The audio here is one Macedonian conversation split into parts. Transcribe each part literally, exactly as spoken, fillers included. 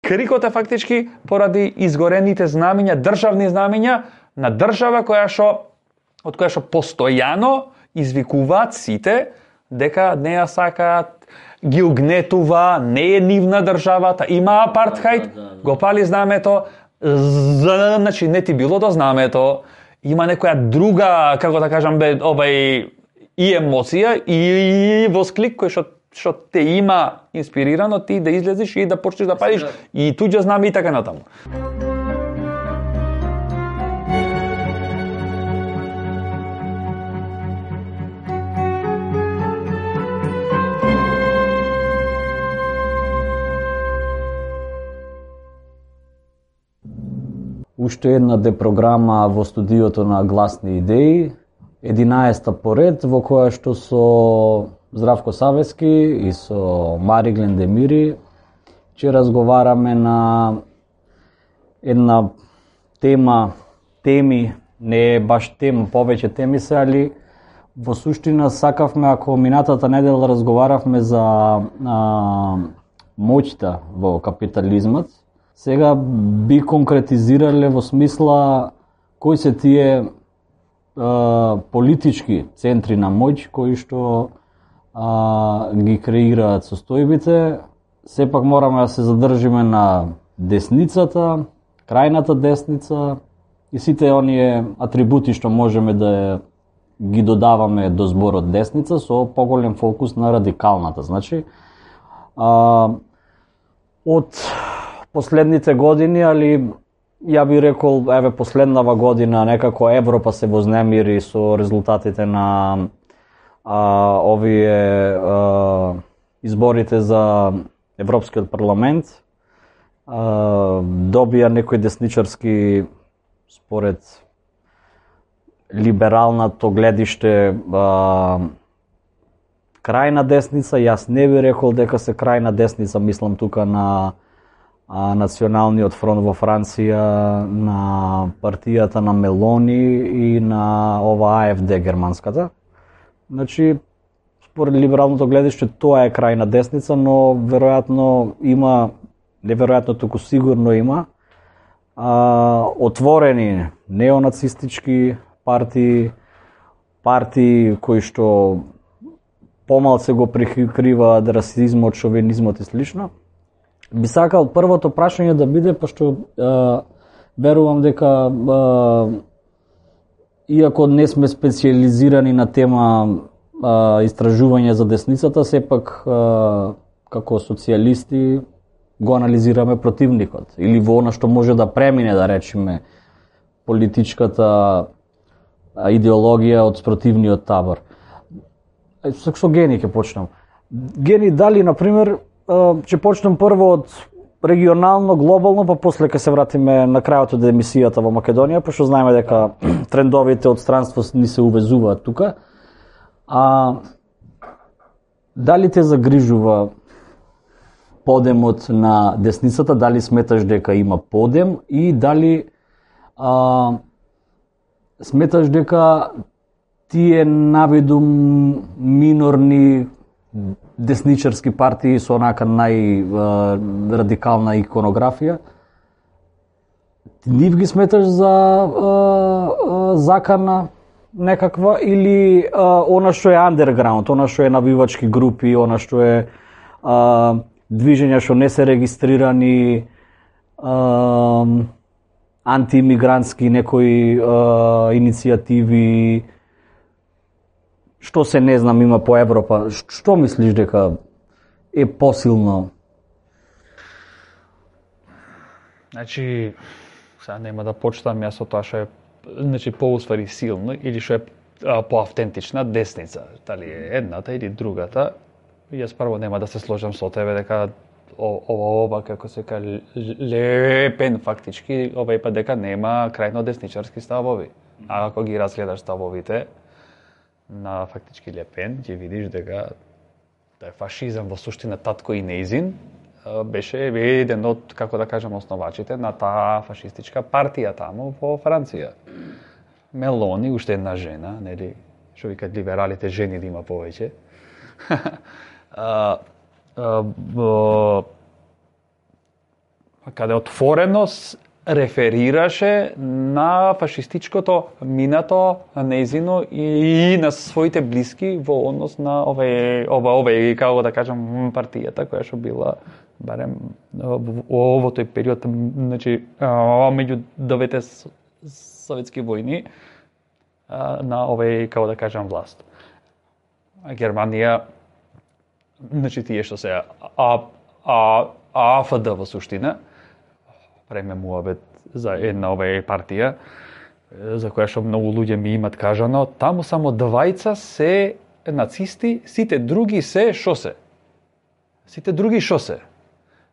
крикот е фактички поради изгорените знамиња, државни знамиња на држава која што од која што постојано извикуваат сите дека не ја сакаат, ги угнетува, не е нивна државата, има апартхајд, да, да, да. Го пали знамето, значи не ти било до знамето, има некоја друга, како да кажам, бе, обај и емоција и восклик кој што што те има инспирирано ти да излезеш и да почнеш да палиш и туѓа знаме и така натаму. Уште една депрограма во студиото на Гласни идеи, единаесета поред, во која што со Здравко Савески и со Мари Глендемири ќе разговараме на една тема, теми, не е баш тема, повеќе теми се, али во суштина сакавме, ако минатата недела разговаравме за а, моќта во капитализмот, сега би конкретизирале во смисла кои се тие а, политички центри на моќ кои што а, ги креираат состојбите. Сепак мораме да се задржиме на десницата, крајната десница и сите оние атрибути што можеме да ги додаваме до зборот десница со поголем фокус на радикалната. Значи, а, од последните години, али ја би рекол, еве последнава година некако Европа се вознемири со резултатите на а, овие а, изборите за Европскиот парламент. А, добија некој десничарски, според либералното гледиште, а, крајна десница. Јас не би рекол дека се крајна десница, мислам тука на а, Националниот фронт во Франција, на партијата на Мелони и на ова А Ф Д германската. Значи, според либералното гледиште, тоа е крајна десница, но веројатно има, неверојатно туку сигурно има, а, отворени неонацистички партии, партии кои што помалце го прикриваат расизмот, шовинизмот и слично. Би сакал првото прашање да биде, пошто е, верувам дека е, иако не сме специализирани на тема е, истражување за десницата, сепак е, како социјалисти го анализираме противникот или во она што може да премине, да речеме, политичката идеологија од спротивниот табор. Со, со Гени ќе почнам. Гени, дали, например, ќе почнем прво од регионално, глобално, па после ќе се вратиме на крајот од емисијата во Македонија, пошто знаеме дека трендовите од странство ни се увезуваат тука. А дали те загрижува подемот на десницата, дали сметаш дека има подем и дали а, сметаш дека тие навиду минорни десничарски партии со онака најрадикална иконографија, нив ги сметаш за а, а, закана некаква или а, она што е андерграунд, она што е навивачки групи, она што е а, движења што не се регистрирани, а, антиимигрантски некои а, иницијативи, што се не знам има по Европа. Што мислиш дека е посилно? Значи, сега нема да почитам јас со тоа што е, значи, поуствари силно или што е а, поавтентична десница. Дали е едната или другата. Јас прво нема да се сложам со тебе дека ова ова како се каже Лепен фактички овај пат дека нема крајно десничарски ставови. А ако ги разгледаш ставовите на фактички Лепен, ќе видиш дека да е фашизам во суштина татко и неизин беше еден од, како да кажам, основачите на таа фашистичка партија таму во Франција. Мелони, уште една жена, нели, што викаат либералите, жени да има повеќе. А, а, каде отворено реферираше на фашистичкото минато неизино и на своите блиски во однос на овој ова овој како да кажам партијата која што била барем во тој период, значи меѓу двете советски војни на овој како да кажам власт. Германија, значи тие што се а а АФД во суштина, преме муабет за една овај партија, за која што многу луѓе ми имат кажано, таму само двајца се нацисти, сите други се шо се? Сите други шо се?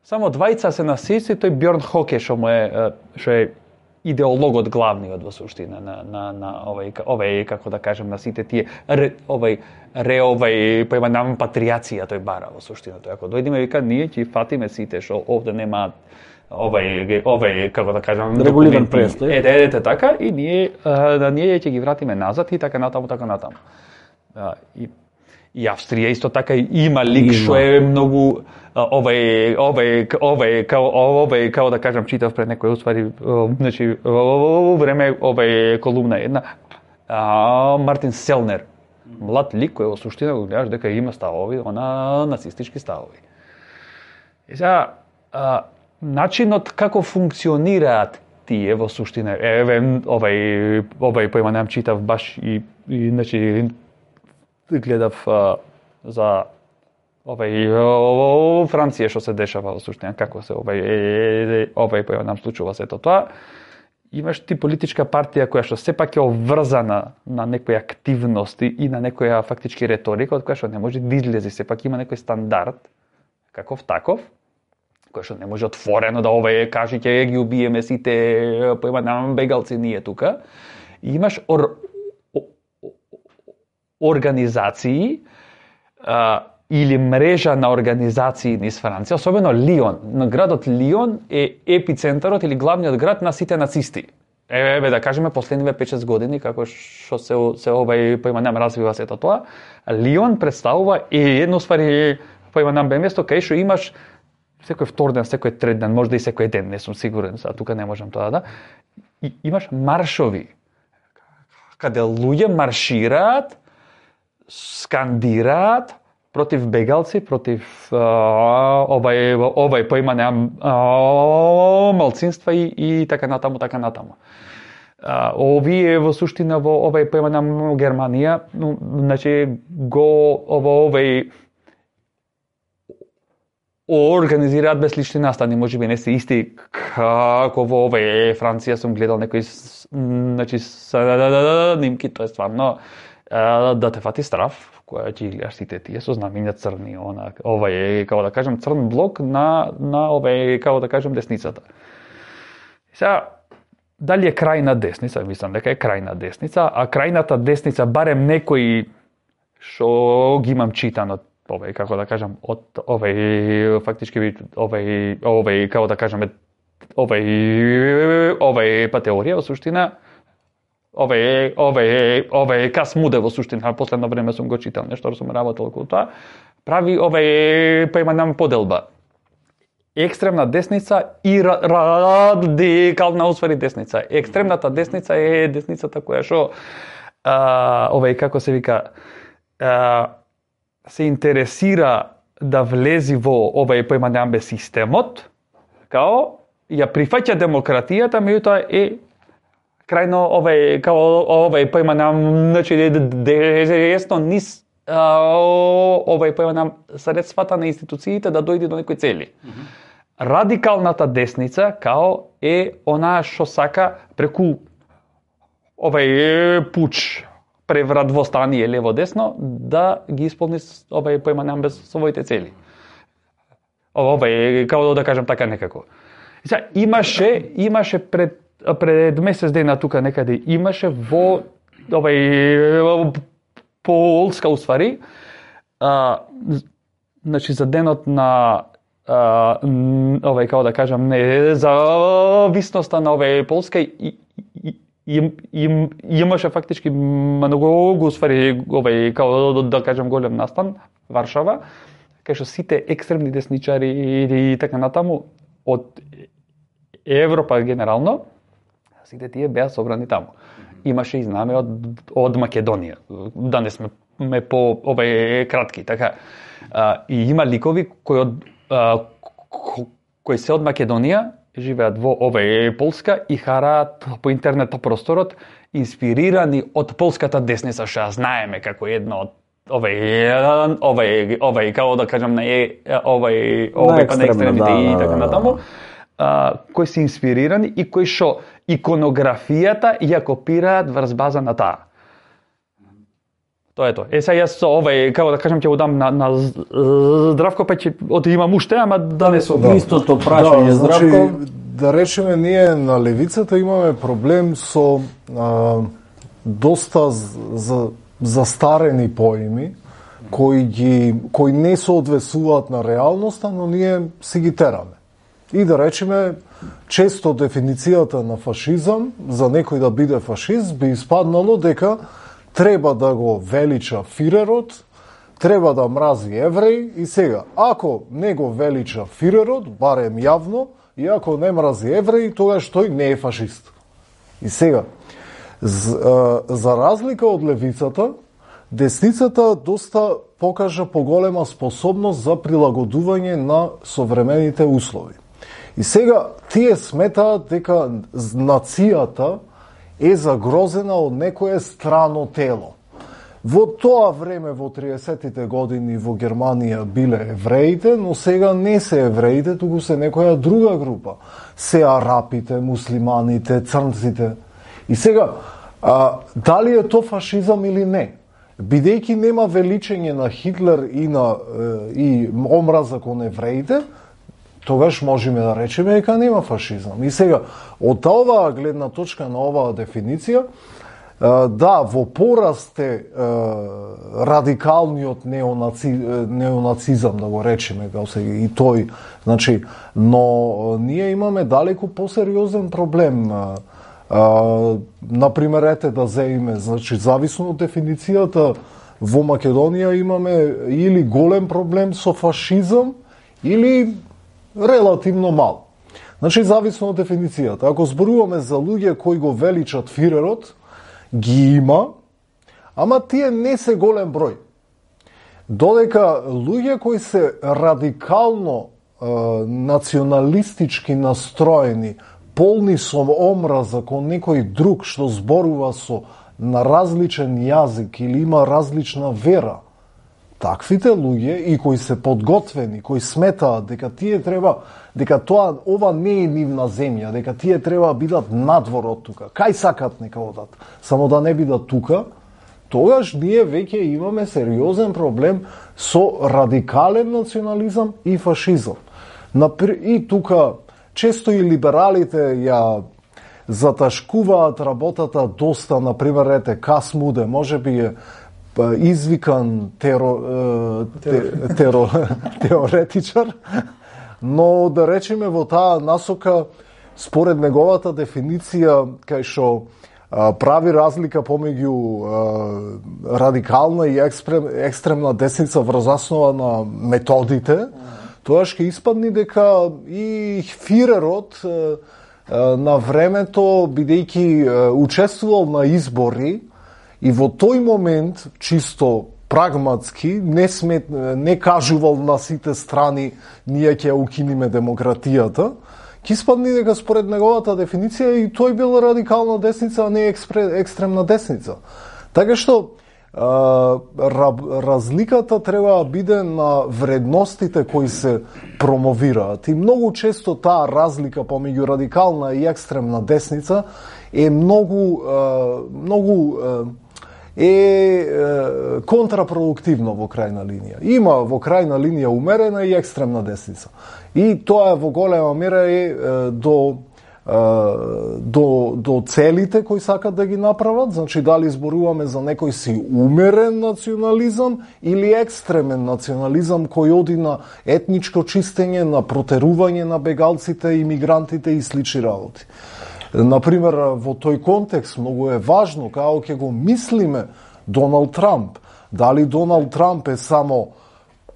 Само двајца се нацисти, тој Бјорн Хоке што му е што е идеологот главниот во суштина на на на овај овај како да кажем на сите тие ре, овај ре овај поема нам патријација тој бара во суштина. Тој ако дојдеме вика ние ќе фатиме сите што овде немаат овај овај како да кажам регулиран престој. Ете, ете така и ние да ние ќе ги вратиме назад и така натаму така натаму. А, и и Австрија исто така има лик што е многу овај овај овај као овај као да кажам читав пред некој уствари значи во време овај колумна една а, Мартин Селнер, млад лик кој во суштина го гледаш дека има ставови, она нацистички ставови. И сега начинот како функционираат тие во суштина, еве овај овај поема нам читав баш и, и значи гледав а, за овај Франција што се дешава во суштина, како се овај овај поема нам случува сето тоа. Имаш ти политичка партија која што сепак е обврзана на некои активности и на некоја фактички реторика од која што не може да излезе, сепак има некој стандард каков таков, кој што не може отворено да овај каже ќе ги убиеме сите поема нам бегалци ние тука. И имаш ор, организации а, или мрежа на организации низ Франција, особено Лион. На градот Лион е епицентарот или главниот град на сите нацисти. Еве да кажеме последниве пет-шест години како што се се овај поема нам развива сето тоа, Лион представува и едно ствари поема нам бе место кај што имаш секој втор ден, секој трет ден, можда и секој ден, не сум сигурен, сега тука не можам тоа да. И имаш маршови каде луѓе маршираат, скандираат против бегалци, против а, овај овај поима неам малцинства и, и така натаму, така натаму. А, овие во суштина во овај поима неам Германија, ну, значи го ово овај организираат безлични настани, можеби не се исти како во овај Франција сум гледал некои значи снимки, тоа е стварно да те фати страф, која ќе гледаш сите тие со знамиња црни, она овај е како да кажем црн блок на на овај како да кажем десницата. Сега дали е крајна десница, мислам дека е крајна десница, а крајната десница барем некои што ги имам читано овај како да кажем од овај фактички овај овај како да кажеме овај овај па теорија во суштина овај овај овај Кас Муде во суштина последно време сум го читал нешто, сум работел околу тоа, прави овај па има нам поделба екстремна десница и радикална усвари десница. Екстремната десница е десницата која што овај како се вика а, се интересира да влези во овај поема неамбе системот, као ја прифаќа демократијата, меѓутоа е крајно овај као овај поема неам значи десно низ овај поема неам средствата на институциите да дојде до некои цели. Mm-hmm. Радикалната десница као е она што сака преку овај пуч преврат во стание лево-десно да ги исполни овај поема неам без своите цели. Овај како да кажем така некако. Сега имаше имаше пред пред месец дена тука некаде имаше во овај Полска уствари а, значи за денот на а, овај како да кажам не зависноста на овај Полска и, и, и, и имаше фактички многу уствари овај како да кажам голем настан Варшава, кај што сите екстремни десничари и, и така натаму од Европа генерално, сите тие беа собрани таму. Имаше и знаме од, од Македонија. Данес сме ме по овај кратки, така. А, и има ликови кои од а, кои се од Македонија, живеат во овај Полска и хараат по интернет просторот инспирирани од полската десница, што знаеме како една од овај овај овај како да кажам на овај овај па на екстремните и така натаму. Uh, кои се инспирирани и кои што иконографијата ја копираат врз база на таа. Тоа е тоа. Е, сега јас со овај, како да кажам, ќе го дам на, на Здравко, па ќе од имам уште, ама да не со да. Истото прашање, да, Здравко. Значи, да речеме, ние на левицата имаме проблем со а, доста за, застарени поими, кои, ги, кои не соодветствуваат на реалноста, но ние си ги тераме. И да речеме, често дефиницијата на фашизам, за некој да биде фашист, би испаднало дека треба да го велича фирерот, треба да мрази евреи и сега, ако не го велича фирерот, барем јавно, и ако не мрази евреи, тогаш тој не е фашист. И сега, за, за разлика од левицата, десницата доста покажа поголема способност за прилагодување на современите услови. И сега тие сметаат дека нацијата е загрозена од некое страно тело. Во тоа време, во триесеттите години, во Германија биле евреите, но сега не се евреите, туку се некоја друга група. Се арапите, муслиманите, црнците. И сега, а, дали е то фашизам или не? Бидејќи нема величење на Хитлер и на и омраза кон евреите, тогаш можеме да речеме дека нема фашизам. И сега, од оваа гледна точка на оваа дефиниција, да, во пораст е радикалниот неонаци, неонацизам, да го речеме, и тој, значи, но ние имаме далеку посериозен проблем. Например, ете да земиме, значи, зависно од дефиницијата, во Македонија имаме или голем проблем со фашизам, или релативно мал. Значи, зависно од дефиницијата. Ако зборуваме за луѓе кои го величат фирерот, ги има, ама тие не се голем број. Додека луѓе кои се радикално е, националистички настроени, полни со омраза кон некој друг што зборува со на различен јазик или има различна вера, таквите луѓе и кои се подготвени, кои сметаат дека тие треба, дека тоа ова не е нивна земја, дека тие треба да бидат надвор од тука. Кај сакат нека одат, само да не бидат тука, тогаш ние веќе имаме сериозен проблем со радикален национализам и фашизам. И тука често и либералите ја заташкуваат работата доста, например, ете Касмуде, можеби е извикан теро, те, теро, теоретичар, но да речеме во таа насока, според неговата дефиниција, кај што прави разлика помеѓу радикална и екстрем, екстремна десница врз основа на методите, тоа ќе испадни дека и Фирерот на времето, бидејќи учествувал на избори, и во тој момент, чисто прагматски, не, смет, не кажувал на сите страни ние ќе укиниме демократијата, ќе испадни дека според неговата дефиниција и тој бил радикална десница, а не екстремна десница. Така што а, разликата треба да биде на вредностите кои се промовираат. И многу често таа разлика помеѓу радикална и екстремна десница е многу а, многу а, е, е контрапродуктивно во крајна линија. Има во крајна линија умерена и екстремна десница. И тоа во голема мера е, е до, е, до, до целите кои сакат да ги направат, значи дали зборуваме за некој си умерен национализам или екстремен национализам кој оди на етничко чистење, на протерување на бегалците, имигрантите и слични работи. Например, во тој контекст многу е важно како ќе го мислиме Доналд Трамп. Дали Доналд Трамп е само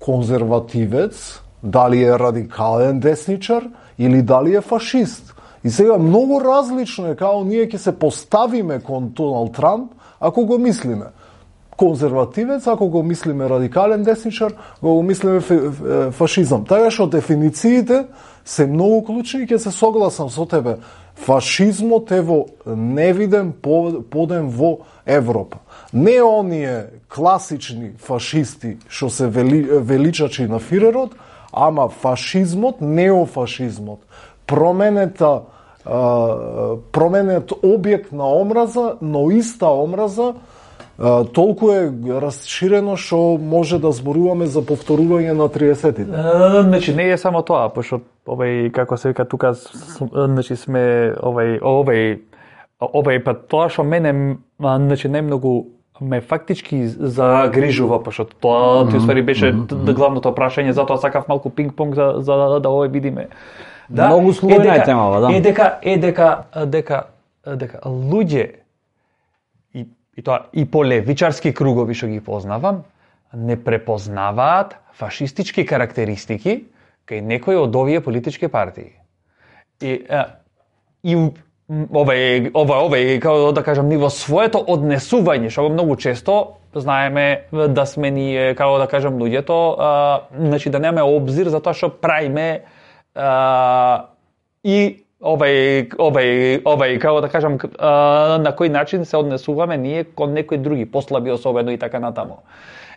конзервативец, дали е радикален десничар или дали е фашист. И сега многу различно е како ние ќе се поставиме кон Доналд Трамп, ако го мислиме конзервативец, ако го мислиме радикален десничар, го го мислиме фашизам. Така што дефинициите се многу клучни и ќе се согласам со тебе. Фашизмот е во невиден подем во Европа. Не оние класични фашисти што се вели, величачи на Фирерот, ама фашизмот, неофашизмот, променета, променет објект на омраза, но иста омраза, толку е расширено што може да зборуваме за повторување на триесеттите. Значи не е само тоа, пошто овај како се вика тука, значи сме овај овај овај па тоа што мене значи најмногу ме фактички загрижува, пошто тоа ти уствари беше главното прашање, затоа сакав малку пинг-понг за за да овој видиме. Да, многу слојна е темава, да. Е дека е дека дека дека луѓе и и тоа и по левичарски кругови што ги познавам, не препознаваат фашистички карактеристики кај некои од овие политички партии. И и овај овај овај како да кажам ниво своето однесување, што многу често знаеме да сме ние како да кажам луѓето, а, значи да немаме обзир за тоа што правиме а, и овај овај овај како да кажам а, на кој начин се однесуваме ние кон некои други послаби особено и така натаму.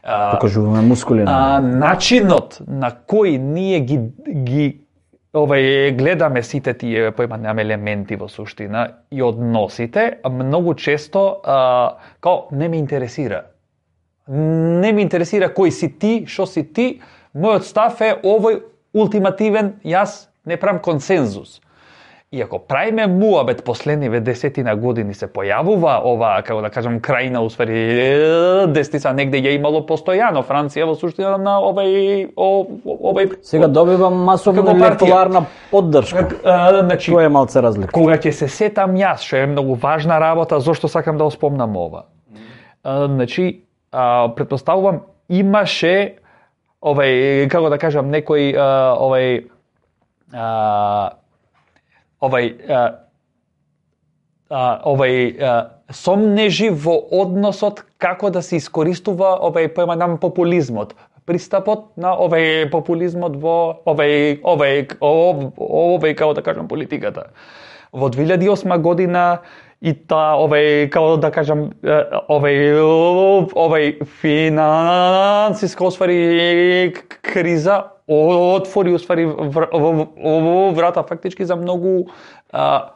Покажуваме мускули. А, начинот на кој ние ги ги овај гледаме сите тие поимаме елементи во суштина и односите, многу често а, као не ме интересира. Не ме интересира кој си ти, што си ти, мојот став е овој ултимативен, јас не правам консензус. И ако правиме муабет последниве десетина години се појавува ова, како да кажам, крајна усвари десница негде ја имало постојано Франција во суштина на овај овај сега добива масовна електорална поддршка. Значи, тоа е малце разлика. Кога ќе се сетам јас, што е многу важна работа, зошто сакам да спомнам ова. Значи, претпоставувам имаше овај како да кажам некој овај овај а, а, овај а, сомнежи во односот како да се искористува овај појманам популизмот, пристапот на овај популизмот во овај овај овај, овај како да кажам политиката. Во две илјади и осма година и та овај како да кажам овај овај финансиска усвари криза отвори усвари врата фактички за многу а,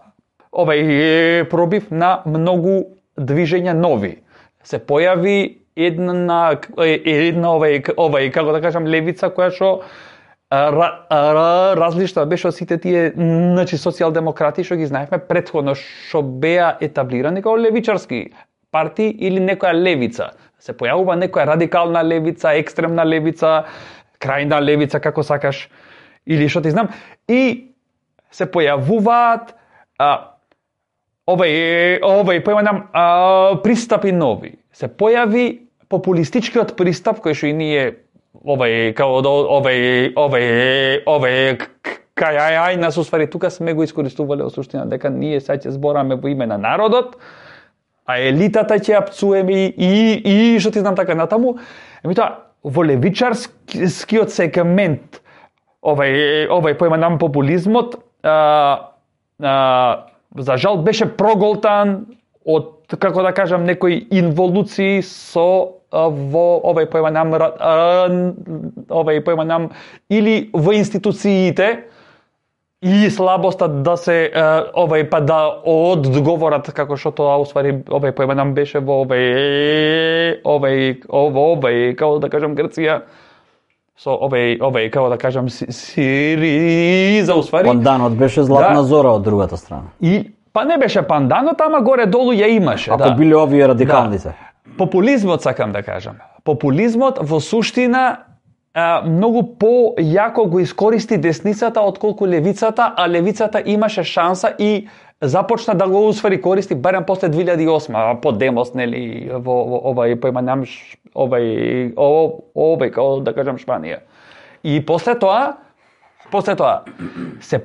овај пробив на многу движења нови. Се појави една една овај овај како да кажам левица која што различна беше од сите тие значи социјалдемократи што ги знаевме претходно што беа етаблирани како левичарски партии или некоја левица. Се појавува некоја радикална левица, екстремна левица, крајна левица, како сакаш, или што ти знам, и се појавуваат а, овај, овај појманам пристапи нови. Се појави популистичкиот пристап кој што и ние овај како овај овај овај кај ај нас усвари тука сме го искористувале во суштина дека ние сега ќе збораме во име на народот, а елитата ќе ја пцуеме и и што ти знам така натаму. Еми тоа во левичарскиот сегмент овај овај појманам популизмот а, а, за жал беше проголтан од како да кажам некои инволуции со во овај појманам овај појманам или во институциите и слабоста да се овај па да одговорат како што тоа усвари овај појманам беше во овај овај овај како да кажам Грција со овај овај како да кажам Сириза усвари панданот беше златна да, зора од другата страна. И па не беше панданот, ама горе долу ја имаше. Ако да. биле овие радикалните. Да. Популизмот сакам да кажам. Популизмот во суштина а, многу по-јако го искористи десницата отколку левицата, а левицата имаше шанса и започна да го усвари користи барем после две илјади и осма, по Демос, нели, во, во овај појманам овај овај како да кажам Шпанија. И после тоа, после тоа се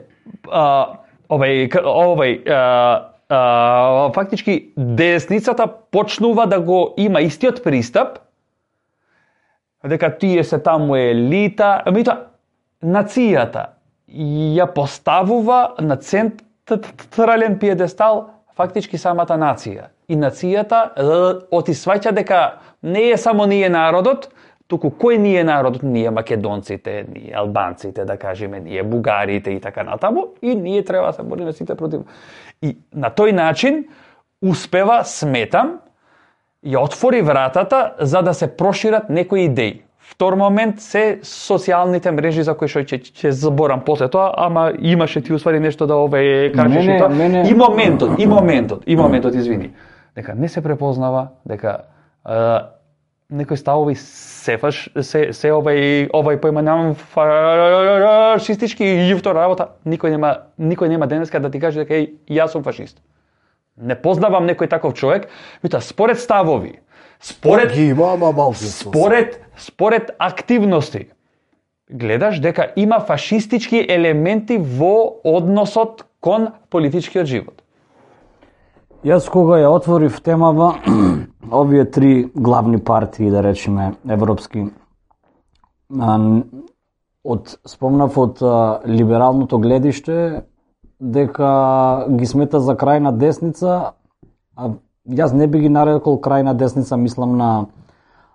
а, овај овај а, а, фактички десницата почнува да го има истиот пристап, дека тие се таму елита, меѓутоа нацијата ја поставува на централен пиедестал фактички самата нација. И нацијата оти сваќа дека не е само ние народот, туку кој ние народот, ние македонците, ние албанците, да кажеме, ние бугарите и така натаму, и ние треба да се бориме сите против. И на тој начин успева, сметам, ја отвори вратата за да се прошират некои идеи. Втор момент се социјалните мрежи за кои што ќе ќе заборам после тоа, ама имаше ти уствари нешто да ове кажеш и тоа. Мене... И моментот, и моментот, и моментот, извини. Дека не се препознава, дека а, некои ставови се фаш, се се овај овај поименуван фашистички и втора работа, никој нема никој нема денеска да ти каже дека еј, јас сум фашист. Не познавам некој таков човек, меѓутоа според ставови, според ги има, ама малцинство. Според според активности гледаш дека има фашистички елементи во односот кон политичкиот живот. Јас кога ја отворив темава, овие три главни партии, да речеме, европски, од спомнав од либералното гледиште, дека ги смета за крајна десница, а јас не би ги нарекол крајна десница, мислам на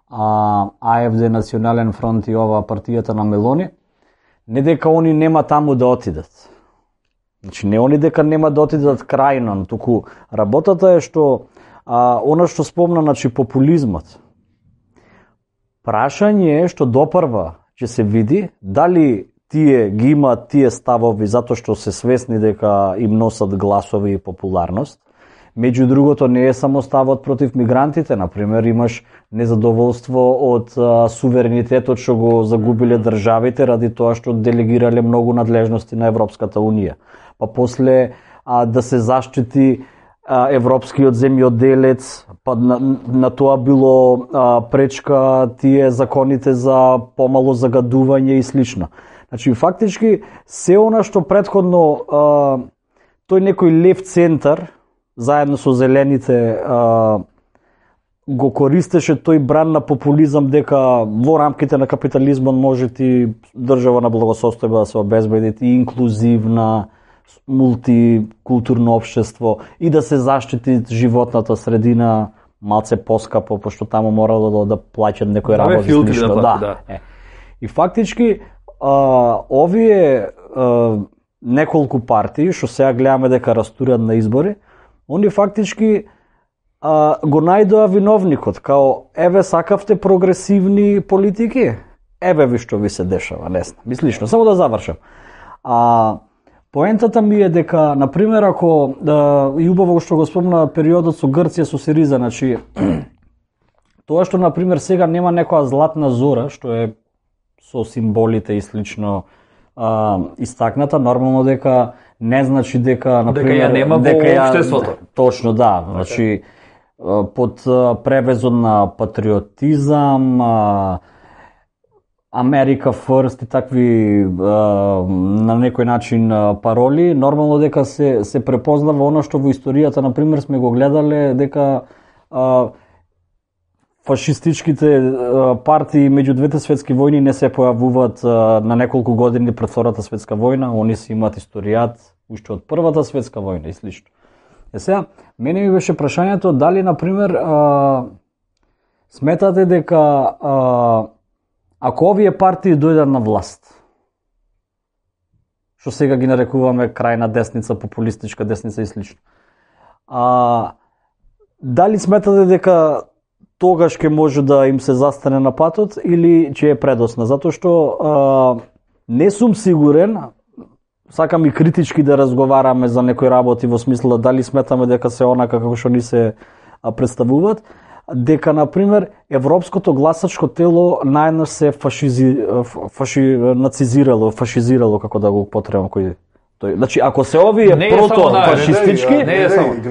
а, АФД, Национален фронт и ова партијата на Мелони, не дека они нема таму да отидат. Значи, не они дека нема да отидат крајно, туку работата е што а, она што спомна, значи, популизмот. Прашање е што допрва ќе се види дали тие ги имаат тие ставови затоа што се свесни дека им носат гласови и популарност. Меѓу другото, не е само ставот против мигрантите, например, имаш незадоволство од а, суверенитетот што го загубиле државите ради тоа што делегирале многу надлежности на Европската унија. Па после а, да се заштити а, европскиот земјоделец, па на, на тоа било а, пречка тие законите за помало загадување и слично. Значи, фактички, се она што предходно а, тој некој лев центар, заедно со зелените, а, го користеше тој бран на популизам дека во рамките на капитализмот може ти држава на благосостојба да се обезбеди и инклузивна, мултикултурно општество и да се заштити животната средина малце поскапо, пошто таму морало да, да плаќат некој работи слично. Да, да. да. Е. И фактички, а, овие а, неколку партии, што сега гледаме дека растурат на избори, они фактички а, го најдоа виновникот, као еве сакавте прогресивни политики, еве ви што ви се дешава, не знам. Мислично, само да завршам. А, поентата ми е дека, например, ако да, и убаво што го спомна периодот со Грција, со Сириза, значи, тоа што, например, сега нема некоја златна зора, што е со символите и слично а, истакната, нормално дека не значи дека, например, дека ја нема во општеството. Точно, да. Значи, под превезот на патриотизам, Америка First и такви на некој начин пароли, нормално дека се се препознава оно што во историјата, например, сме го гледале, дека фашистичките партии меѓу двете светски војни не се појавуваат на неколку години пред Втората светска војна, они си имаат историјат уште од Првата светска војна и слично. Е сега, мене ми беше прашањето дали, например, а, сметате дека а, ако овие партии дојдат на власт, што сега ги нарекуваме крајна десница, популистичка десница и слично, а, дали сметате дека тогаш ќе може да им се застане на патот или ќе е предосна? Затоа што а, не сум сигурен, сакам и критички да разговараме за некои работи во смисла дали сметаме дека се онака како што ни се представуваат, дека, например, европското гласачко тело најнаш се фашизи, фаши, нацизирало, фашизирало, како да го потребам кој тој. Значи, ако се овие прото-фашистички,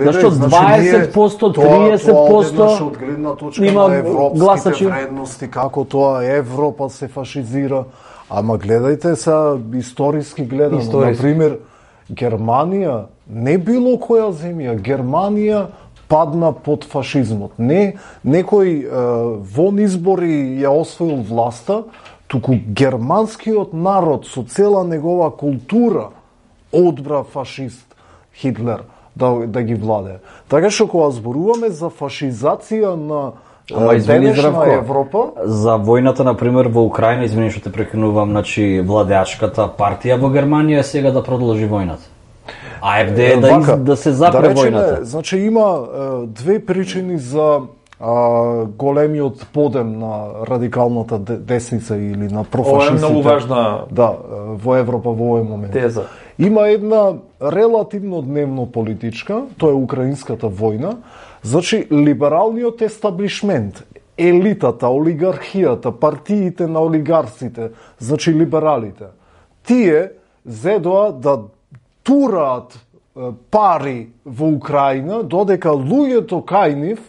зашто дваесет проценти, триесет проценти од гледна точка има на европските гласачи вредности, како тоа Европа се фашизира, ама гледајте се историски гледано, Историски. например, Германија, не било која земја, Германија падна под фашизмот. Не некој е, вон избори ја освоил власта, туку германскиот народ со цела негова култура одбра фашист Хитлер да, да ги владее. Така што кога зборуваме за фашизација на Ама извини, Здравко, Европа, за војната, например, во Украина, извини што те прекинувам, значи владеачката партија во Германија сега да продолжи војната. А еф де да, из, да се запре да речеме, војната. Значи има е, две причини за а, големиот подем на радикалната десница или на профашистите. Ова е многу важна да, во Европа во овој момент. Теза. Има една релативно дневно политичка, тоа е украинската војна. Значи, либералниот естаблишмент, елитата, олигархијата, партиите на олигарците, значи либералите, тие зедоа да тураат пари во Украина, додека луѓето кај нив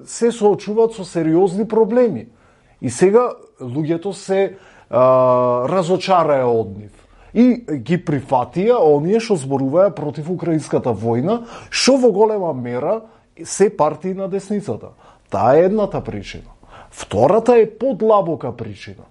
се соочуваат со сериозни проблеми. И сега луѓето се а, разочараа од нив. И ги прифатија оние што зборуваа против украинската војна, што во голема мера се партии на десницата. Таа е едната причина. Втората е подлабока причина.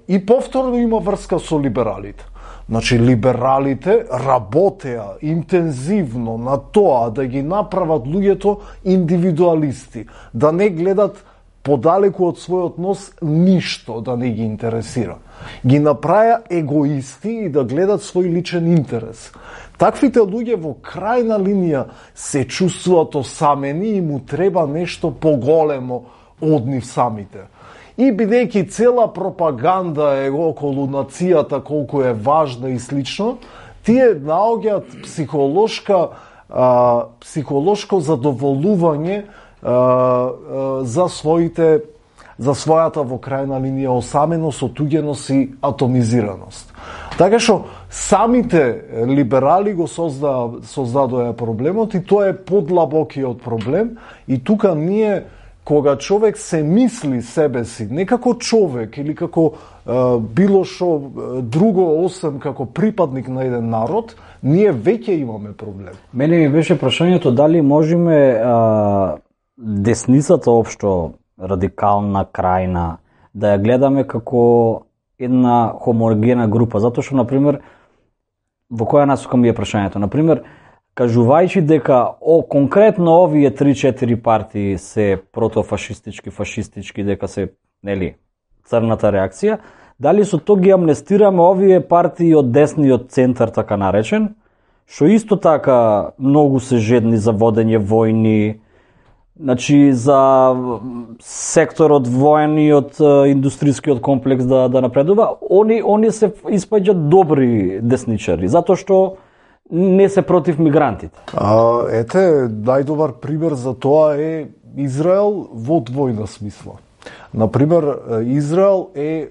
И повторно има врска со либералите. Значи, либералите работеа интензивно на тоа да ги направат луѓето индивидуалисти, да не гледат подалеку од својот нос ништо да не ги интересира. Ги направија егоисти и да гледат свој личен интерес. Таквите луѓе во крајна линија се чувствуваат осамени и му треба нешто поголемо од нив самите. И бидејќи цела пропаганда е околу нацијата, колку е важна и слично, тие наоѓаат психолошка, а, психолошко задоволување а, а, за своите за својата во крајна линија осаменост, отуѓеност и атомизираност. Така што самите либерали го созда, создадоа проблемот и тоа е подлабокиот проблем и тука ние кога човек се мисли себе си не како човек или како е, било што друго осем како припадник на еден народ, ние веќе имаме проблем. Мене ми беше прашањето дали можеме а, десницата општо радикална, крајна, да ја гледаме како една хомогена група, затоа што, например, во која насока ми е прашањето? Например, кажувајќи дека о, конкретно овие три-четири партии се протофашистички, фашистички, дека се, нели, црната реакција, дали со тоа ги амнестираме овие партии од десниот центар, така наречен, што исто така многу се жедни за водење војни, значи за секторот воениот индустријскиот комплекс да да напредува, они они се испаѓаат добри десничари, затоа што не се против мигрантите. А, ете, најдобар пример за тоа е Израел во двојна смисла. Например, Израел е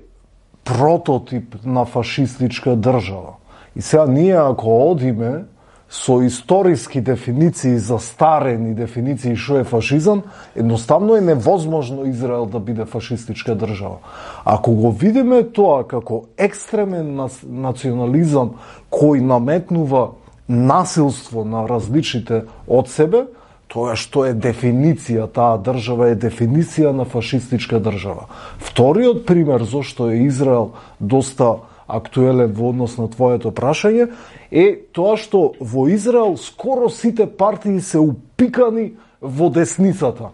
прототип на фашистичка држава. И сега ние ако одиме со историски дефиниции, застарени дефиниции што е фашизам, едноставно е невозможно Израел да биде фашистичка држава. Ако го видиме тоа како екстремен национализам кој наметнува насилство на различните од себе, тоа што е дефиниција, таа држава е дефиниција на фашистичка држава. Вториот пример зошто е Израел доста актуелен во однос на твоето прашање, е тоа што во Израел скоро сите партии се упикани во десницата.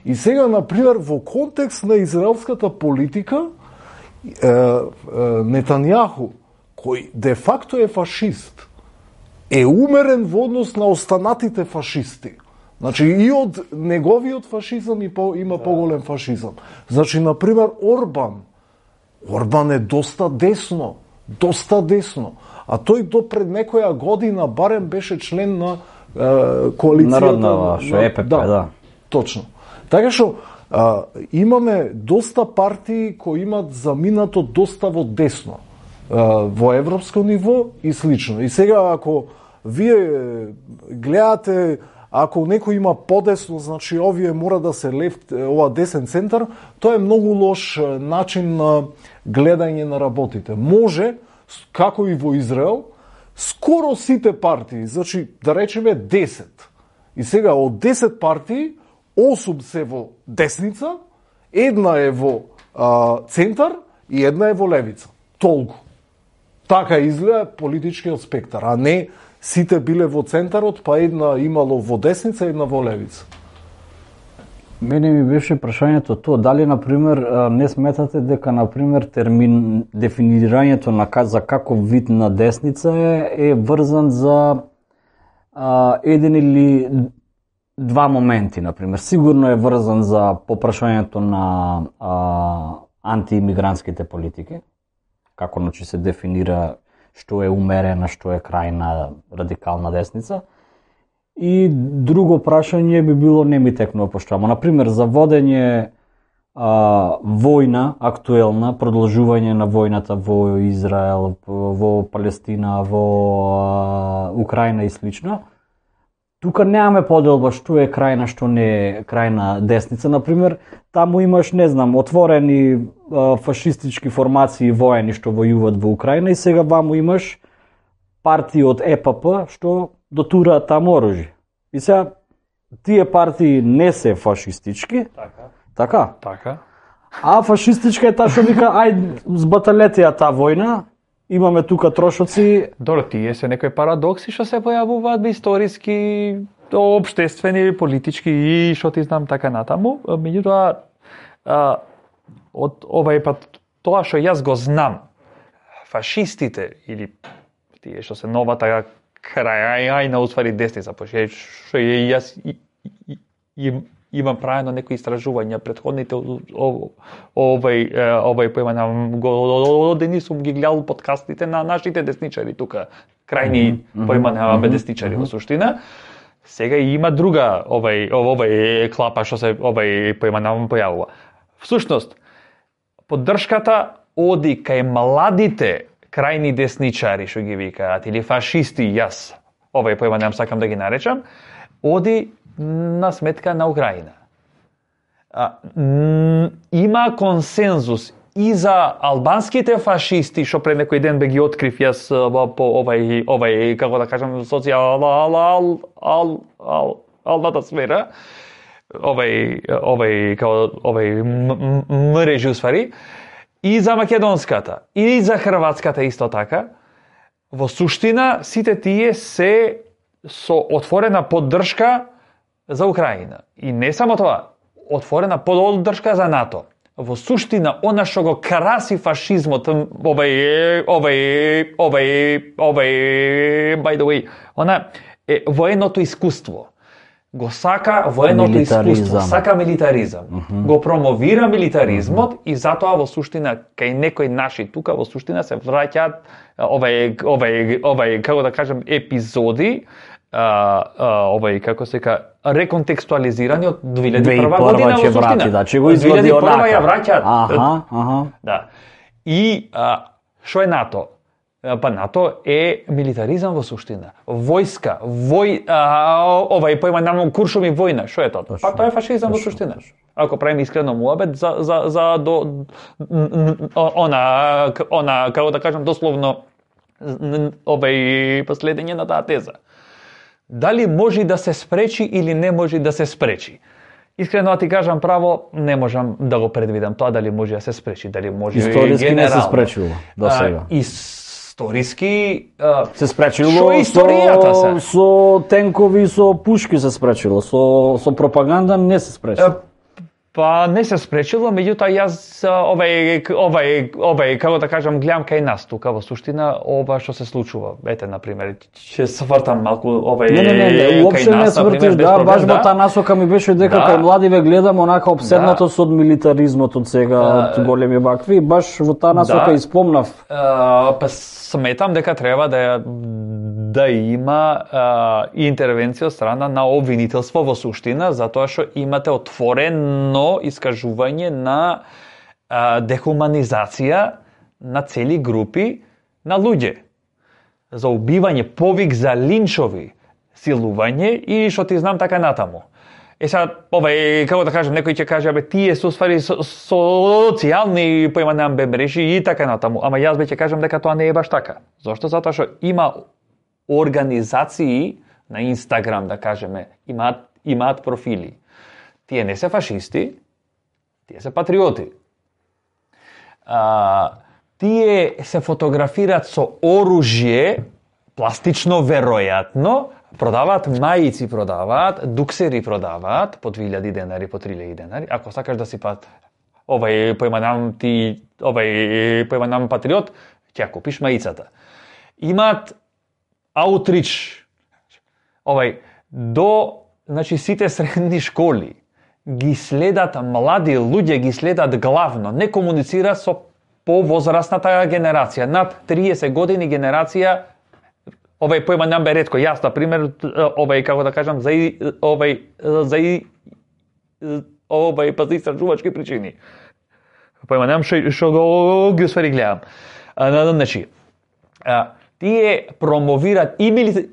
И сега, например, во контекст на израелската политика, е, е, Нетањаху, кој де факто е фашист, е умерен во однос на останатите фашисти. Значи, и од неговиот фашизам и по, има поголем фашизам. Значи, например, Орбан, Орбан е доста десно, доста десно. А тој до пред некоја година барем беше член на е, коалицијата. Народна, што е ЕПП, да, да. Точно. Така што а, имаме доста партии кои имат заминато доста во десно, а, во европско ниво и слично. И сега ако вие гледате, ако некој има подесно, значи овие мора да се лефт, ова десен центар, тоа е многу лош начин на гледање на работите. Може, како и во Израел, скоро сите партии, значи да речеме десет. И сега од десет партии, осум се во десница, една е во а, центар и една е во левица. Толку. Така изгледа политичкиот спектар, а не сите биле во центарот, па една имало во десница, една во левица. Мене ми беше прашањето тоа, дали, например, не сметате дека, например, термин, дефинирањето на за каков вид на десница е, е врзан за а, еден или два моменти, например. Сигурно е врзан за попрашањето на а, антиимигрантските политики, како значи се дефинира што е умерена, што е крајна радикална десница. И друго прашање би било, не ми текнува поштрамо, например, за водење а, војна, актуелна, продолжување на војната во Израел, во Палестина, во а, Украина и слично. Тука немаме поделба што е крајна, што не е крајна десница. Например, таму имаш, не знам, отворени а, фашистички формации воени што војуват во Украина и сега ваму имаш партии од Е П П што дотураат таму оружје. И сега тие партии не се фашистички. Така. Така? Така. А фашистичка е таа што вика ајде збаталете ја таа војна. Имаме тука трошоци. Добро, тие се некои парадокси што се појавуваат историски, општествени, политички и што ти знам така натаму. Меѓутоа, од овај пат тоа што јас го знам, фашистите или тие што се новата крајна уствари десница, пошто што јас им имам правено некои истражувања претходните овај овај појма години сум ги гледал подкастите на нашите десничари тука, крајни појма десничари во суштина. Сега има друга овај овај клапа што се овај појма нам појавува. Всушност, поддршката оди кај младите крајни десничари што ги викаат или фашисти, јас овај појма нам сакам да ги наречам, оди на сметка на Украина. А, м, има консензус и за албанските фашисти, што пред некој ден бе ги открив јас по овај, овај, како да кажам, социјалната ал, ал, ал, сфера, овај, овај, како, овај мрежи усвари, и за македонската, и за хрватската исто така. Во суштина, сите тие се со отворена поддршка за Украина. И не само тоа, отворена поддршка за НАТО. Во суштина, она што го краси фашизмот, овај, овај, овај, овај, by the way, она е военото искуство. Го сака военото искуство, сака милитаризам. Uh-huh. Го промовира милитаризмот uh-huh. и затоа во суштина, кај некои наши тука, во суштина се враќаат овај, овај, овај, како да кажем, епизоди, А, а, овај, како се ка, реконтекстуализирани од две илјади и прва година во суштина. Врати, да, че го извади онака. две илјади и прва ја враќаат. Аха, аха. Да. И а, што е НАТО? Па НАТО е милитаризам во суштина. Војска, вој, а, овај појма намно куршуми војна, што е тоа? Па тоа е фашизам во суштина. Ако правиме искрено муабет за за за до она она како да кажам дословно овај последење на таа теза. Дали може да се спречи или не може да се спречи? Искрено да ти кажам право, не можам да го предвидам тоа дали може да се спречи, дали може историски не се спречило до сега. А, историски а, се спречило што историјата со, се? Со тенкови, со пушки се спречило, со со пропаганда не се спречило. Па не се спречило, меѓутоа јас овај овај овај како да кажам гледам кај нас тука во суштина ова што се случува. Ете на пример, ќе се вртам малку овај Не, не, не, не уопште не свртиш, да, баш во таа насока ми беше дека да. Кај млади ве гледам онака обседнато да. Со милитаризмот од сега, од големи вакви, баш во таа насока да. Испомнав. А, па сметам дека треба да да има а, интервенција од страна на обвинителство во суштина, затоа што имате отворено искажување на а, дехуманизација на цели групи на луѓе. За убивање, повик за линчови, силување и што ти знам така натаму. Е сега, овај, како да кажем, некој ќе каже, абе, тие се усвари со, социјални појманам бе мрежи и така натаму. Ама јас бе ќе кажам дека тоа не е баш така. Зошто? Затоа што има организации на Инстаграм, да кажеме, имаат имаат профили. Тие не се фашисти, тие се патриоти. А, тие се фотографираат со оружје, пластично веројатно, продаваат мајици, продаваат, дуксери продаваат по две илјади денари, по три илјади денари. Ако сакаш да си пат овај поиманам ти овај поиманам патриот, ќе ја купиш мајицата. Имаат аутрич. Овај до значи сите средни школи ги следат млади луѓе, ги следат главно, не комуницира со повозрастната генерација, над триесет години генерација. Овај појма нам бе ретко, јас на пример, овај како да кажам, за овај за овај па за истражувачки причини. Појма нам што што го ги усвари гледам. А, значи, а, тие промовираат и, мили,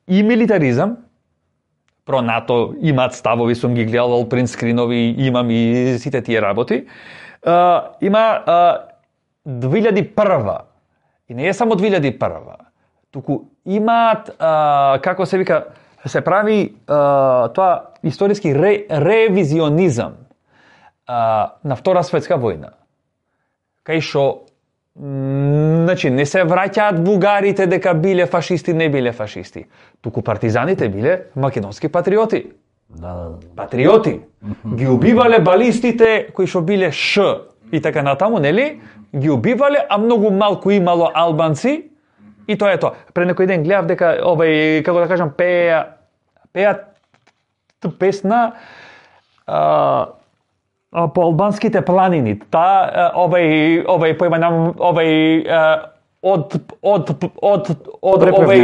и милитаризам. Про НАТО имаат ставови, сум ги гледал, принтскринови, имам и сите тие работи. Uh, има uh, две илјади и прва. И не е само две илјади и прва. Туку имаат, uh, како се вика, се прави uh, тоа историски ре, ревизионизам uh, на Втора светска војна. Кај шо значи, не се враќаат бугарите дека биле фашисти, не биле фашисти. Туку партизаните биле македонски патриоти. Да, да, да. Патриоти. Ги убивале балистите кои што биле Ш и така натаму, нели? Ги убивале, а многу малку имало албанци и тоа е тоа. Пред некој ден гледав дека овај, како да кажам, пеа пеа песна а, по албанските планини. Та овај овај појма нам овај од од од од овај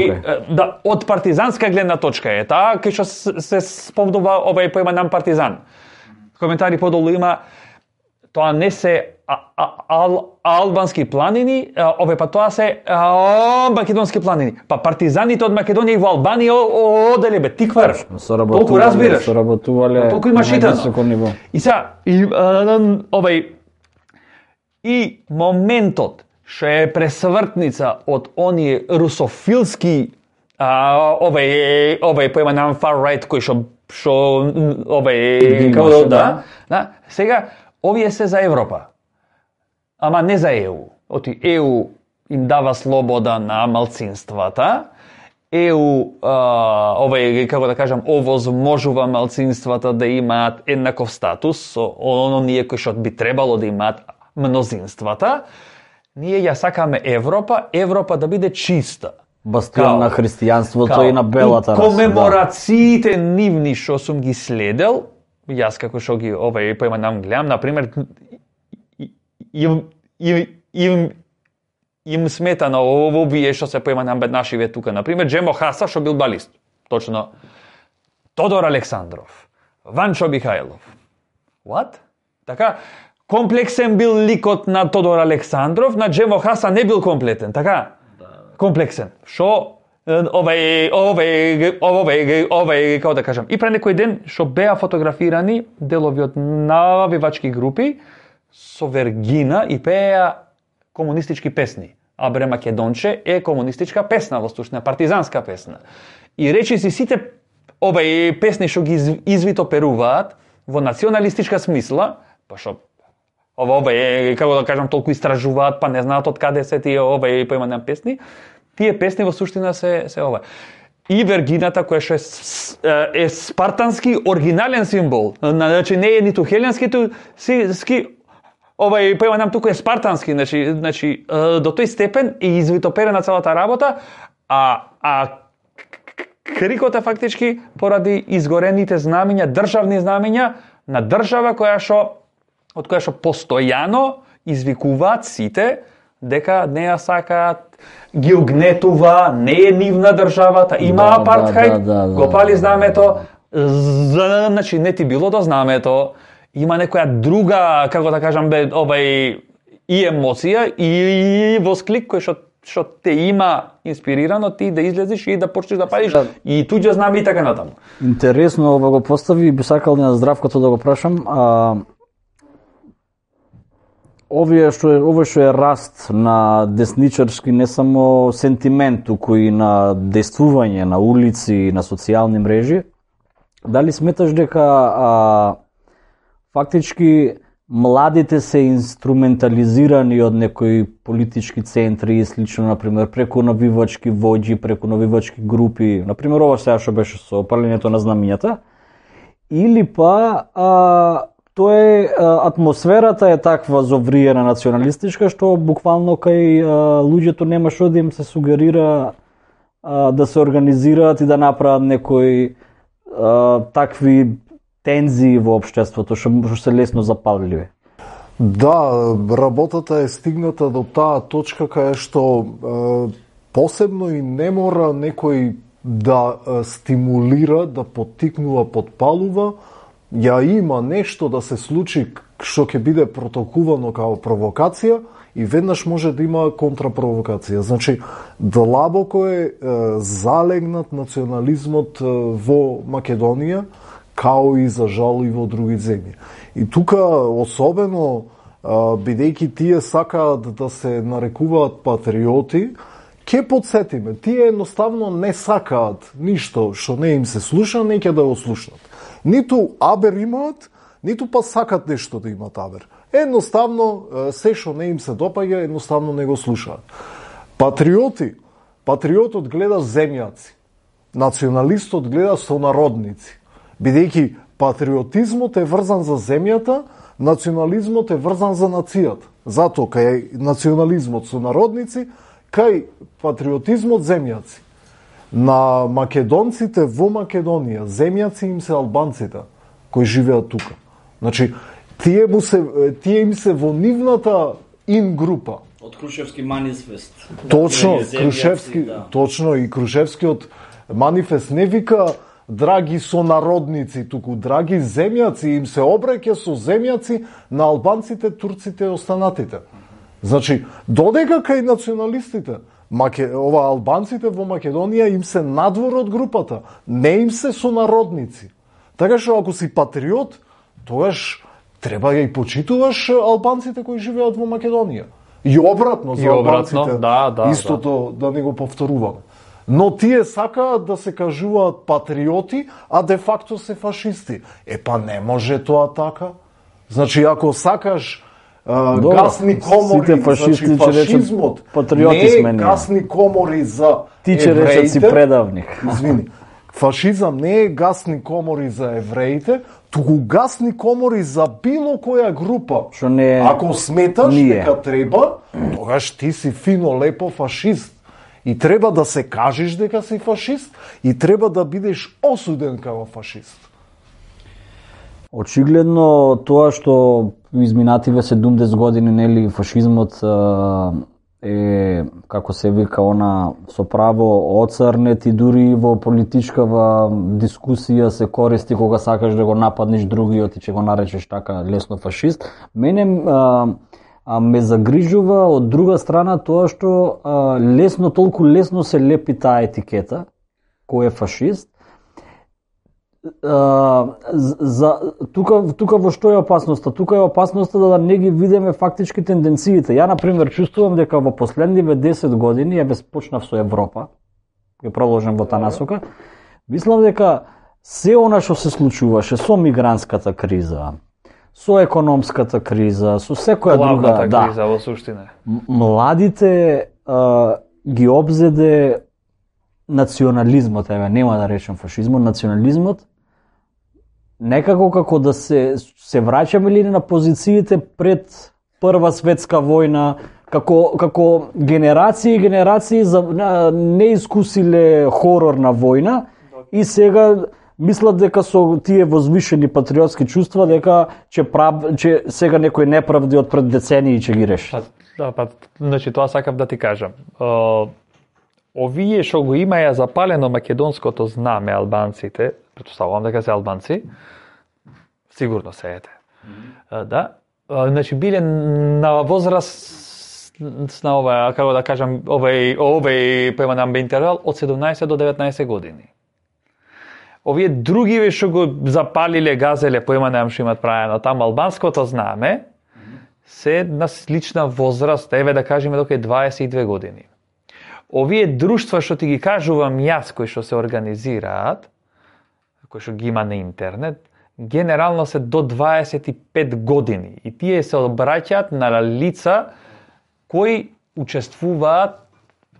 да од партизанска гледна точка е таа кај што се спомнува овај појма нам партизан. Коментари подолу има тоа не се а, а, ал, албански планини, овај па тоа се а, македонски планини. Па партизаните од Македонија и во Албанија оделе бе тиквар. Толку разбираш. Соработувале. Толку имаш итано. И сега и а, овај и моментот што е пресвртница од оние русофилски а, овај овај појма нам far right кој што што овај како да, да, сега овие се за Европа. Ама не за Е У. Оти Е У им дава слобода на малцинствата. Е У а, овај како да кажам овозможува малцинствата да имаат еднаков статус со оние кои што би требало да имаат мнозинствата. Ние ја сакаме Европа, Европа да биде чиста. Бастион на христијанството и на белата раса. Комеморациите да. Нивни што сум ги следел, јас како што ги овај појма нам гледам, на пример им им им им смета на овие што се појма нам беднашиве тука, на пример Джемо Хаса што бил балист. Точно Тодор Александров, Ванчо Михајлов. What? Така комплексен бил ликот на Тодор Александров, на Джемо Хаса не бил комплетен, така? Да. Комплексен. Шо овај овај овај овај како да кажам, и пред некој ден што беа фотографирани делови од навивачки групи со Вергина и пеа комунистички песни. Абре Македонче е комунистичка песна, во сушна партизанска песна. И речи си сите овај песни што ги извито перуваат во националистичка смисла, па што ова овај како да кажам толку истражуваат, па не знаат од каде се тие овај поимани песни. Тие песни во суштина се се ова. И Вергината која што е, е спартански оригинален символ. Значи не е ниту хеленски, ту ски овај поимам туку е спартански, значи значи до тој степен е извитоперена целата работа, а а крикот е фактички поради изгорените знамиња, државни знамиња на држава која што од која што постојано извикуваат сите дека не ја сакаат, ги угнетува, не е нивна државата, има да, апартхајд, да, да, да, го пали знамето, значи не ти било до знамето, има некоја друга, како да кажам, бе, овај и емоција и восклик кој што што те има инспирирано ти да излезеш и да почнеш да палиш да. И туѓо знаме и така натаму. Интересно ова го постави, би сакал на Здравкото да го прашам, а овие што е овој што е раст на десничарски не само сентимент, туку и на действување на улици, на социјални мрежи, дали сметаш дека а, фактички младите се инструментализирани од некои политички центри и слично, например, преку навивачки воџи, преку навивачки групи, например, ова сега што беше со палењето на знамињата, или па а, тоа е а, атмосферата е таква зовриена националистичка што буквално кај а, луѓето нема што да им се сугерира а, да се организираат и да направат некои а, такви тензии во општеството што што се лесно запалливи. Да, работата е стигната до таа точка кај што е, посебно и не мора некој да е, стимулира, да поттикнува, подпалува, ја има нешто да се случи што ќе биде протолкувано како провокација и веднаш може да има контрапровокација. Значи, длабоко е, е залегнат национализмот е, во Македонија, као и за жал и во други земји. И тука особено бидејќи тие сакаат да се нарекуваат патриоти, ќе подсетиме, тие едноставно не сакаат ништо што не им се слуша, неќе да го слушнат. Ниту абер имаат, ниту па сакат нешто да имат абер. Едноставно се што не им се допаѓа, едноставно не го слушаат. Патриоти, патриотот гледа земјаци, националистот гледа сонародници. Бидејќи патриотизмот е врзан за земјата, национализмот е врзан за нацијата. Затоа кај национализмот со народници, кај патриотизмот земјаци. На македонците во Македонија, земјаци им се албанците кои живеат тука. Значи, тие, му се, тие им се во нивната ин група. Од Крушевски манифест. Точно, Крушевски, да. Точно и Крушевскиот манифест не вика драги сонародници, туку драги земјаци, им се обраќа со земјаци на албанците, турците и останатите. Значи, додека кај националистите, маке, ова албанците во Македонија им се надвор од групата, не им се сонародници. Така што ако си патриот, тогаш треба да и почитуваш албанците кои живеат во Македонија. И обратно за и обратно, албанците, да, да, истото да. да не го повторуваме. Но тие сакаат да се кажуваат патриоти, а де факто се фашисти. Е па не може тоа така. Значи, ако сакаш а, Добро, гасни комори, фашисти, значи фашизмот патриоти не е сме гасни комори за ти че речат си предавник. Извини. Фашизам не е гасни комори за евреите, туку гасни комори за било која група. Што не е... Ако сметаш ние. дека треба, тогаш ти си фино лепо фашист. И треба да се кажеш дека си фашист и треба да бидеш осуден како фашист. Очигледно тоа што изминативе седумдесет години нели фашизмот е, како се вика, она со право оцрнет и дури во политичкава дискусија се користи кога сакаш да го нападнеш другиот и ќе го наречеш така лесно фашист. Мене а, а ме загрижува од друга страна тоа што а, лесно, толку лесно се лепи таа етикета кој е фашист. А, за тука тука во што е опасноста? Тука е опасноста да не ги видиме фактички тенденциите. Ја на пример чувствувам дека во последниве десет години, ја без почнав со Европа, ќе продолжам во таа насока, мислам дека се она што се случуваше со мигрантската криза, со економската криза, со секоја друга, да, криза во суштина. Младите а, ги обзеде национализмот, еве, нема да речем фашизмот, национализмот, некако како да се се враќаме ли на позициите пред Прва светска војна, како како генерации и генерации за не искусиле хорор на војна и сега мислат дека со тие возвишени патриотски чувства дека ќе прав, че сега некои неправди од пред децении ќе ги реши. Па, да, па, значи тоа сакав да ти кажам. Uh... Овие што го имаја запалено македонското знаме албанците, претпоставувам дека се албанци, сигурно се ете. Mm-hmm. Да, значи биле на возраст на ова, како да кажам, овој овој поеман интервал од седумнаесет до деветнаесет години. Овие другиве што го запалиле, газеле, поеман што имат правено таму албанското знаме, се на слична возраст, еве да кажеме дека е дваесет и две години. Овие друштва што ти ги кажувам јас, кои што се организираат, кои што ги има на интернет, генерално се до дваесет и пет години и тие се обраќаат на лица кои учествуваат,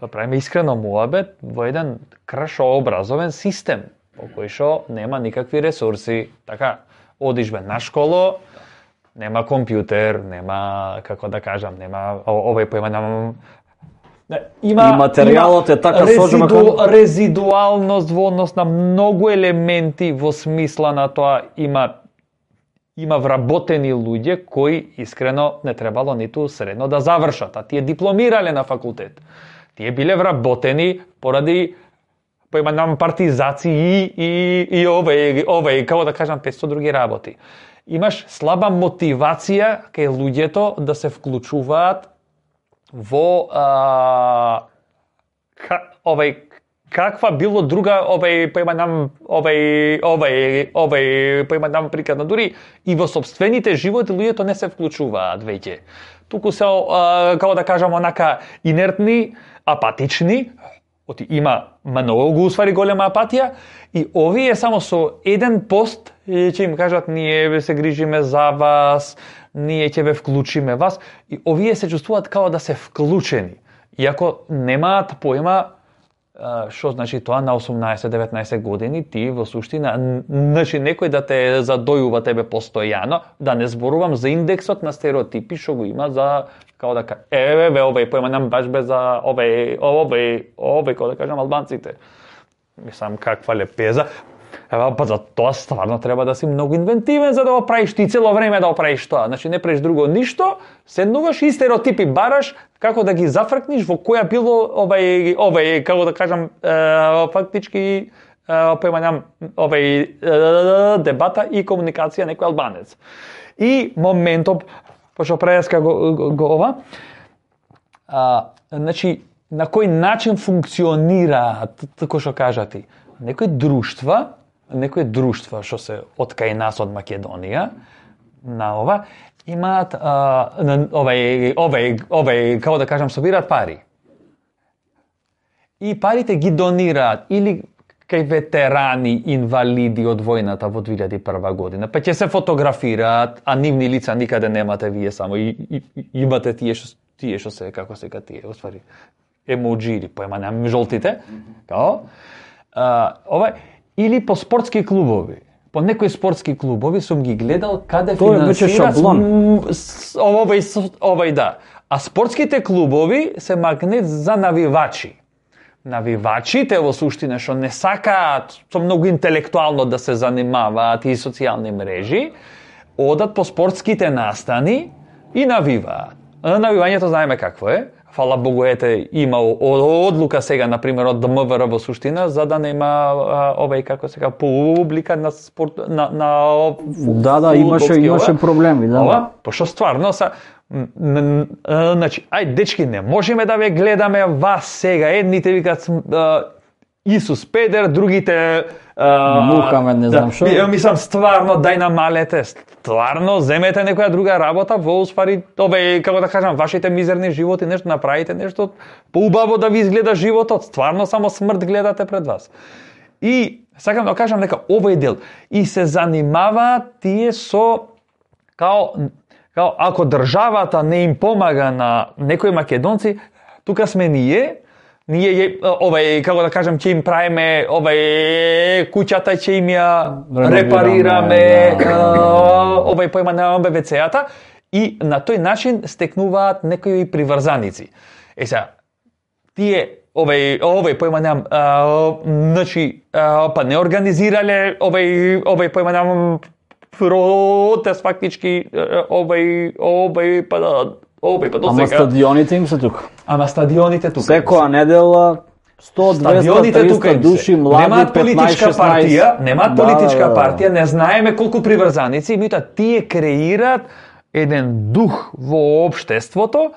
да правиме искрено муабет, во еден кршообразовен систем, по кој што нема никакви ресурси. Така, одиш бе на школо, нема компјутер, нема, како да кажам, нема овој поема, нема... Има, и материјалот е така сложен резиду, резидуалност во однос на многу елементи во смисла на тоа има има вработени луѓе кои искрено не требало ниту средно да завршат, а тие дипломирале на факултет. Тие биле вработени поради поимам партизации и и овој овој како да кажам петстотини други работи. Имаш слаба мотивација кај луѓето да се вклучуваат во а, ка, овај каква било друга овај поимам овај овај овај поимам прикладно дури и во сопствените животи луѓето не се вклучуваат веќе. Туку се а, како да кажам онака инертни, апатични. Оти има многу усвари голема апатија и овие само со еден пост ќе им кажат ние се грижиме за вас, ние ќе ве вклучиме вас и овие се чувствуваат као да се вклучени. Иако немаат поема што значи тоа на осумнаесет-деветнаесет години ти во суштина значи некој да те задојува тебе постојано, да не зборувам за индексот на стереотипи што го има за како да кажам, еве ве овој поема нам баш без за овој овој овој како да кажам албанците. Мислам каква лепеза. Ева па за тоа стварно треба да си многу инвентивен за да го правиш ти цело време да го правиш тоа. Значи не правиш друго ништо, седнуваш и стереотипи бараш како да ги зафркниш во која било овај овај како да кажам е, фактички поемам овај дебата и комуникација некој албанец. И моментот пошто преска го, го, го ова а, значи на кој начин функционираат како што кажати некои друштва некои друштва што се од кај нас од Македонија на ова имаат а, овај овај овај како да кажам собираат пари. И парите ги донираат или кај ветерани инвалиди од војната во две илјади и прва година, па ќе се фотографираат, а нивни лица никаде немате вие само и, и, и имате тие што тие што се како се тие, оствари емоџи или поема на жолтите, као а, ова или по спортски клубови. По некои спортски клубови сум ги гледал каде финансираат овој овој да. А спортските клубови се магнет за навивачи. Навивачите во суштина што не сакаат со многу интелектуално да се занимаваат и социјални мрежи, одат по спортските настани и навиваат. Навивањето знаеме какво е. Фала Богу, ете, има одлука сега, например, од ДМВР во суштина, за да нема овај, како сега, публика на спорт, на, на да, да, имаше, имаше проблеми, да. Ова, пошто стварно са, значи, ај, дечки, не можеме да ве гледаме вас сега, едните викат Исус Педер, другите Мухамед, не знам што. Да, мислам, стварно, дај намалете, стварно, земете некоја друга работа, во успари, ове, како да кажам, вашите мизерни животи, нешто направите, нешто поубаво да ви изгледа животот, стварно само смрт гледате пред вас. И, сакам да кажам дека овој дел, и се занимаваат тие со, као, као, ако државата не им помага на некои македонци, тука сме ние, ние овај како да кажам ќе им правиме овај куќата ќе им ја репарираме овај поема на ве це-ата и на тој начин стекнуваат некои приврзаници. Е сега тие овај овај поема нем значи па не организирале овај овај поема нем протест фактички овај овај па овај па до сега. Ама стадионите им се тука. Ама стадионите тука. Секоја недела сто, двесте, триста души, млади, немаат политичка партија, немаат да, политичка да, да. партија, не знаеме колку приврзаници, меѓутоа тие креираат еден дух во општеството,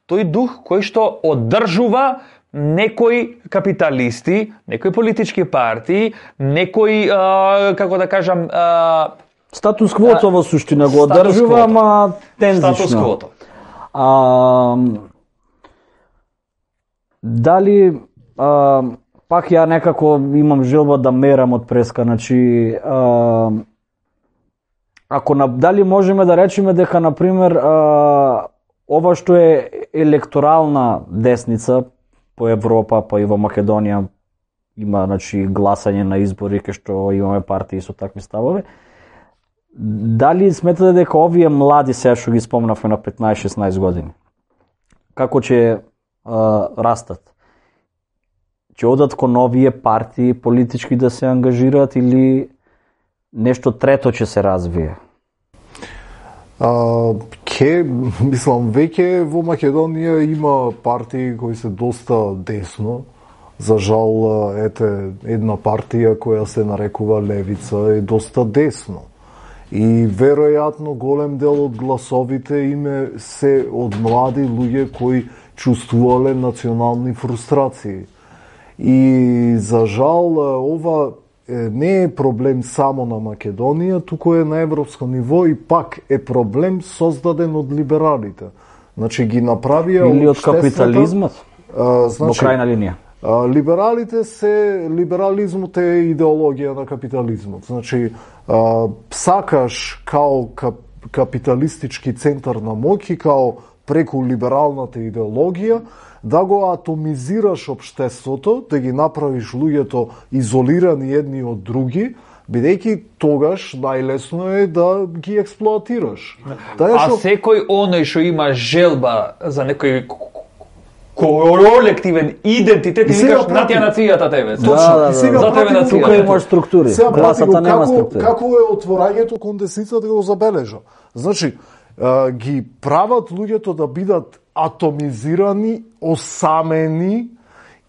тој дух кој што оддржува некои капиталисти, некои политички партии, некои а, како да кажам а, Статус квото во суштина го Статус одржува, квото. ама тензично. Статус квото. А, дали а, пак ја некако имам желба да мерам од преска, значи а, ако на, дали можеме да речеме дека на пример а, ова што е електорална десница по Европа, па и во Македонија има значи гласање на избори кај што имаме партии со такви ставови. Дали сметате дека овие млади, сега што ги спомнавме на петнаесет-шеснаесет години, како ќе а, растат? Ќе одат кон новие партии политички да се ангажираат или нешто трето ќе се развие? А, ке, мислам, веќе во Македонија има партии кои се доста десно. За жал, ете, една партија која се нарекува Левица е доста десно. И веројатно голем дел од гласовите име се од млади луѓе кои чувствувале национални фрустрации. И за жал, ова не е проблем само на Македонија, туку е на европско ниво и пак е проблем создаден од либералите. Значи ги направија или од капитализмот? А, значи, во крајна линија. А, либералите се либерализмот е идеологија на капитализмот. Значи, а, сакаш као кап, капиталистички центар на моќ и као преку либералната идеологија да го атомизираш општеството, да ги направиш луѓето изолирани едни од други, бидејќи тогаш најлесно е да ги експлоатираш. А шо... секој оној што има желба за некој колективен идентитет и викаш на тија нацијата тебе. Точно. Да, да, и сега за тебе нацијата. Тука имаш структури. Класата нема како, структури. Како е отворањето кон десницата да го забележа? Значи, а, ги прават луѓето да бидат атомизирани, осамени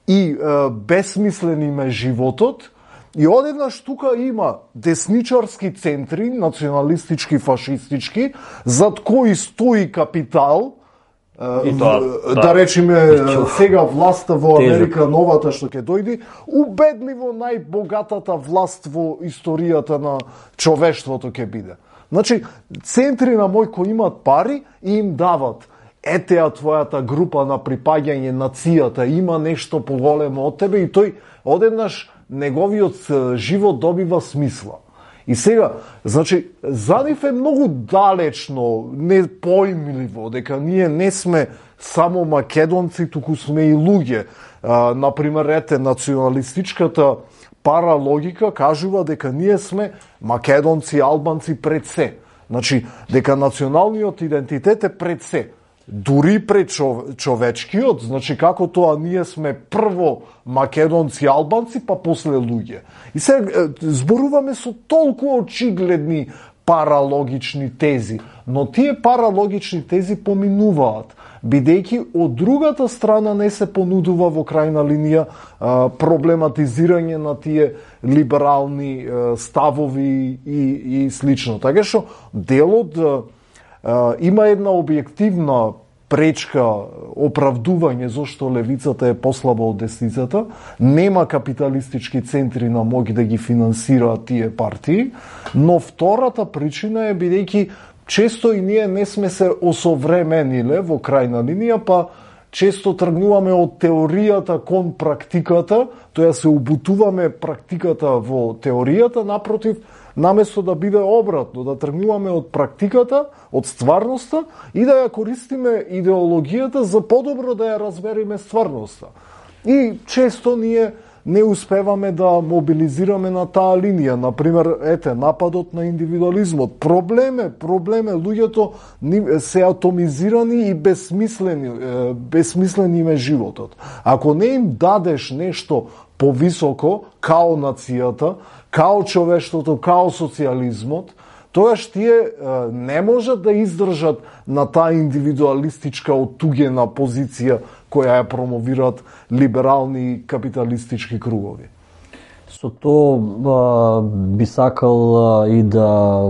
и а, безсмислени ме животот. И одеднаш тука има десничарски центри, националистички, фашистички, зад кои стои капитал, И тоа, да, да речеме сега власта во Америка новата што ќе дојде, убедливо најбогатата власт во историјата на човештвото ќе биде. Значи, центри на мој кои имат пари и им дават етеа твојата група на припаѓање нацијата има нешто поголемо од тебе и тој одеднаш неговиот живот добива смисла. И сега, значи, за нив е многу далечно, непоимливо, дека ние не сме само македонци, туку сме и луѓе. А, например, ете, националистичката паралогика кажува дека ние сме македонци, албанци пред се. Значи, дека националниот идентитет е пред се. Дури пред човечкиот, значи како тоа ние сме прво македонци, албанци, па после луѓе. И сега зборуваме со толку очигледни паралогични тези, но тие паралогични тези поминуваат, бидејќи од другата страна не се понудува во крајна линија а, проблематизирање на тие либерални а, ставови и, и слично. Така што делот Uh, има една објективна пречка, оправдување зошто левицата е послаба од десницата, нема капиталистички центри на моќ да ги финансираат тие партии, но втората причина е бидејќи често и ние не сме се осовремениле во крајна линија, па често тргнуваме од теоријата кон практиката, тоа се убутуваме практиката во теоријата, напротив, наместо да биде обратно, да тргнуваме од практиката, од стварноста и да ја користиме идеологијата за подобро да ја разбереме стварноста. И често ние не успеваме да мобилизираме на таа линија. Например, ете, нападот на индивидуализмот. Проблеме, проблеме, луѓето се атомизирани и безсмислени, безсмислени им е животот. Ако не им дадеш нешто повисоко, као нацијата, као човештвото, као социјализмот, тогаш тие не можат да издржат на таа индивидуалистичка оттугена позиција која ја промовираат либерални капиталистички кругови. Со тоа би сакал и да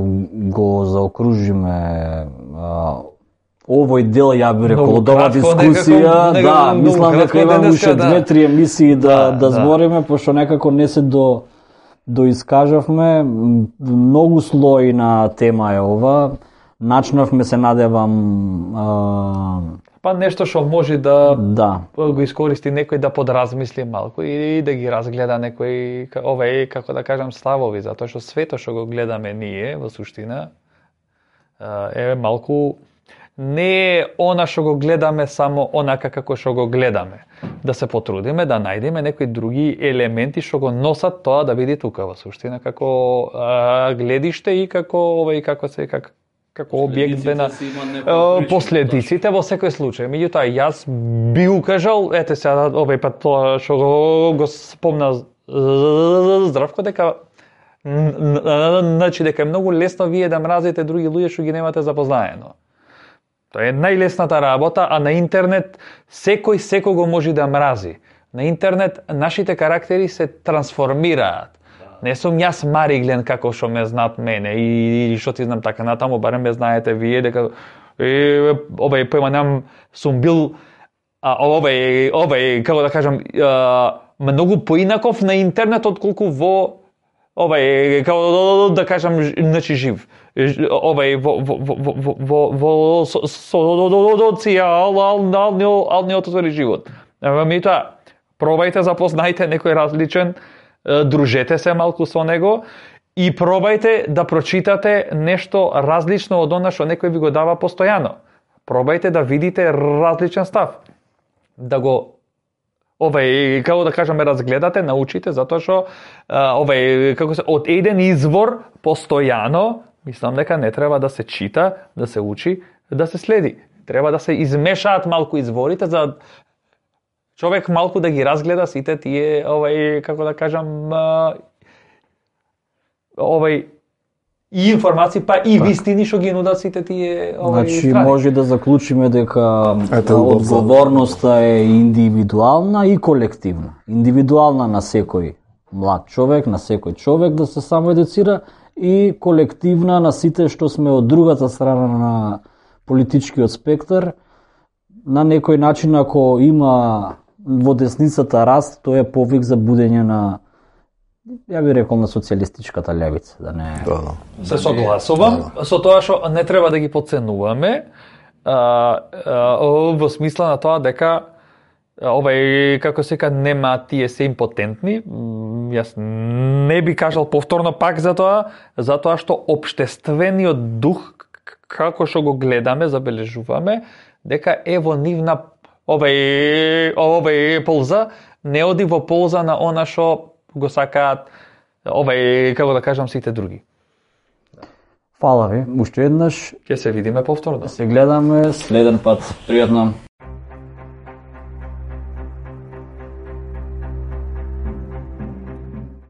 го заокружиме овој дел, ја би рекол, од оваа дискусија, некако, да, мислам дека имам уште две-три емисии да, да, да збориме, пошто некако не се до доискажавме, многу слои на тема е ова. Начнавме, се надевам, а... па нешто што може да, да го искористи некој да подразмисли малку и да ги разгледа некој овај, како да кажам, ставови, затоа што свето што го гледаме ние во суштина е малку не е она што го гледаме само онака како што го гледаме. Да се потрудиме да најдеме некои други елементи што го носат тоа да биде тука во суштина како а, гледиште и како овај како се како како објект на последиците во секој случај. Меѓутоа, јас би укажал, ете сега, овај пат тоа што го, го спомна Здравко, дека значи дека е многу лесно вие да мразите други луѓе што ги немате запознаено. Тоа е најлесната работа, а на интернет секој секого може да мрази. На интернет нашите карактери се трансформираат. Не сум јас Мариглен како што ме знаат мене и, и што ти знам така натаму, барем ме знаете вие дека е, овај појма нам сум бил а, овај овај како да кажам а, многу поинаков на интернет отколку во овај како да кажам значи жив. Овај во во во во во социјалниот живот. Меѓутоа, пробајте запознајте некој различен, дружете се малку со него и пробајте да прочитате нешто различно од она што некој ви го дава постојано. Пробајте да видите различен став. Да го овај како да кажеме разгледате, научите затоа што овај како се од еден извор постојано, мислам дека не треба да се чита, да се учи, да се следи. Треба да се измешаат малку изворите за човек малку да ги разгледа сите тие, овај, како да кажам, овај, и информации, па и вистини што ги нудат сите тие, овај, значи, страни. може да заклучиме дека Ето, одговорноста е индивидуална и колективна. Индивидуална на секој млад човек, на секој човек да се самоедуцира и колективна на сите што сме од другата страна на политичкиот спектар. На некој начин, ако има во десницата раст, тоа е повик за будење на, ја би рекол, на социјалистичката левица, да не... Да, да. Се согласувам да, да. Со тоа што не треба да ги подценуваме, а, а, во смисла на тоа дека овај, како се ка, нема тие се импотентни. Јас не би кажал повторно пак за тоа, затоа што општествениот дух, како што го гледаме, забележуваме, дека е во нивна овај овај полза, не оди во полза на она што го сакаат овај, како да кажам, сите други. Фала ви, уште еднаш. Ќе се видиме повторно. Се гледаме следен пат. Пријатно.